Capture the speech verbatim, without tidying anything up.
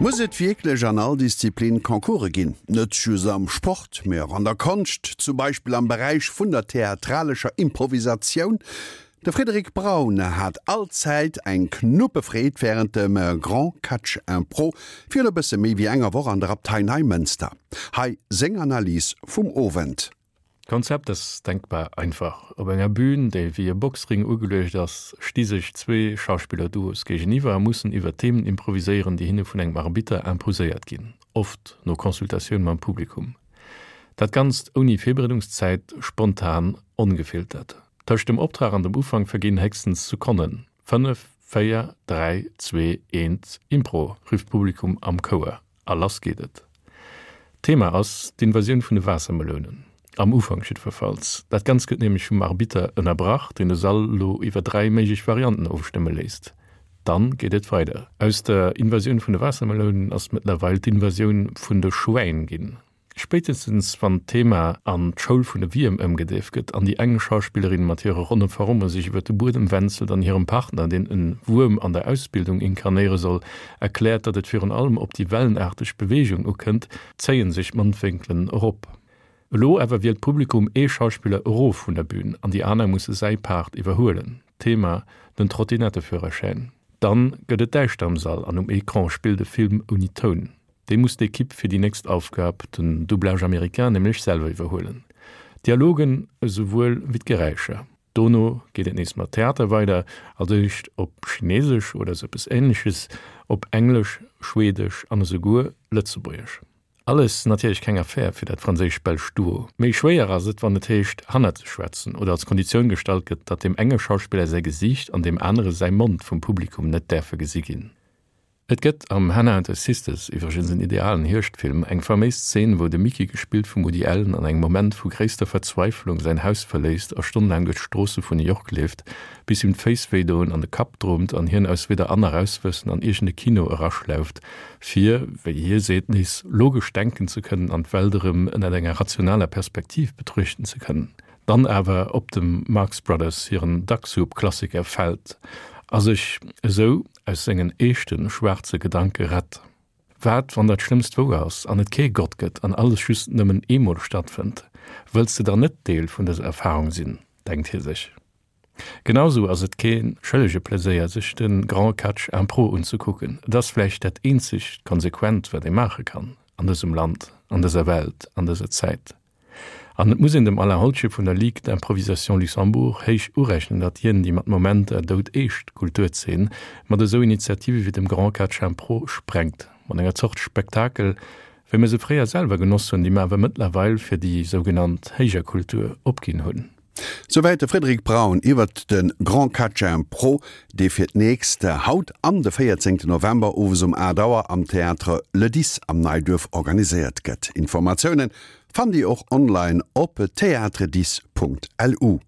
Muss et wierklech an all Disziplin Concourse ginn? Net just am Sport, mee och an der Konscht, zum Beispill am Beräich vun der theatralescher Improvisatioun? De Frédéric Braun hat allzäit eng Knuppefreed wärend dem Grand Catch Impro virun e bësse méi wéi enger Woch an der Abtei Neimënster. Hei seng Analys vum Owend. D'Konzept ass denkbar einfach. Op enger Bün, déi wéi e Boxring ugeluecht ass, sti sech zwee Schauspiller-Duos géigeniwwer a mussen iwwer Themen improviséieren, déi hinne vun engem Arbitter imposéiert ginn, oft no Consultatioun mam Publikum. Dat Ganzt ouni Virbereedungszäit, spontan, ongefiltert. Tëscht dem Optrag an dem Ufank verginn héchstens Sekonnen. Fënnef, véier, dräi, zwee, eent, Impro! rifft d'Publikum am Chouer a lass geet et. Thema ass d'Invasioun vun de Waassermelounen. Am Ufank jiddwerfalls. Dat Ganzt gëtt nämlech vum Arbitter ënnerbrach, deen de Sall lo iwwer dräi méiglech Varianten ofstëmme léisst. Dann geet et weider. Aus der Invasioun vun de Waassermelounen ass mëttlerweil d'Invasioun vun de Schwäin ginn. Spéitestens wann d'Thema an d'Schoul vun de Wierm ëmgedeeft gëtt an déi eng Schauspillerin mat hire ronne Forme sech iwwer de Buedem wänzelt an hirem Partner, deen e Wuerm an der Ausbildung inkarnéiere soll, erkläert, datt et virun allem op déi wellenaarteg Beweegung ukënnt, zéie sech d'Mondwénkelen erop. Elo awer wielt d'Publikum ee Schauspiller erof vun der Bün an déi aner musse säi Part iwwerhuelen. Thema, den Trottinetteführerschäin. Dann gëtt et däischter am Sall an um Ecran spillt e Film ouni Toun. Dee muss d'Ekipp fir déi nächst Aufgab, den Doublage américain, nämlech selwer iwwerhuelen. D'Dialogen esouwuel wéi d'Geräischer. Dono geet et nees mat Theater weider, als éischt op Chinesesch oder esou eppes Änleches, op Englesch, Schwedesch an esouguer Lëtzebuergesch. Alles natierlech keng Affär fir dat franséisch-belscht Duo. Méi schwéier ass et, wann et heescht, hannert ze schwätzen oder als Konditioun gestallt gëtt, datt deem enge Schauspiller säi Gesiicht an deem anere säi Mond vum Publikum net däerfe gesi ginn. Et gëtt am Hannah and Her Sisters, iwwregens en idealen Hierschtfilm, eng faméis Zeen, wou de Mickey, gespillt vum Woody Allen, an engem Moment vu gréisster Verzweiflung säin Haus verléisst a stonnelaang duerch d'Stroosse vun New York leeft, bis him d'Féiss wéi doen an de Kapp droomt an hien aus weder an nach rauswëssen an iergend e Kino eraschlauft, fir, wéi hie seet, nees logesch denken ze kënnen an d'Welt erëm ënnert enger rationaler Perspektiv betruechten ze kënnen. Dann awer op dem Marx Brothers hiren Duck Soup Klassiker fält a sech esou aus sengen eeschten, schwaarze Gedanke rett. Wat wann dat Schlëmmst wouer ass an et kee Gott gëtt an alles just nëmmen eemol stattfënnt? Wëlls de dann net Deel vun dëser Erfarung sinn? denkt hie sech. Genau sou ass et kee schëllege Pleséier sech de Grand Catch Impro unzekucken. Et ass vläicht dat eenzegt konsequent wat ee maache kann an dësem Land, an dëser Welt, an dëser Zäit. An et muss een dem Alain Holtschip vun der Ligue d'Improvisation Luxembourg héich urechnen, datt hien déi mat Momenter doudeescht Kulturzeen mat esou Initiative wéi dem Grand Catch Impro sprengt, mat enger Zort Spektakel, wéi mir se fréier selwer genoss hunn, déi mer awer mëttlerweil fir déi sougenannt héijer Kultur opginn hunn. Souwäit de Frédéric Braun iwwert de Grand Catch Impro, dee fir d'nächst haut an de véierzéngten November owes um aacht Auer am Théâtre Le Dix am Neiduerf organiséiert gëtt. Informatiounen fannt Dir och online op théâtredix.lu.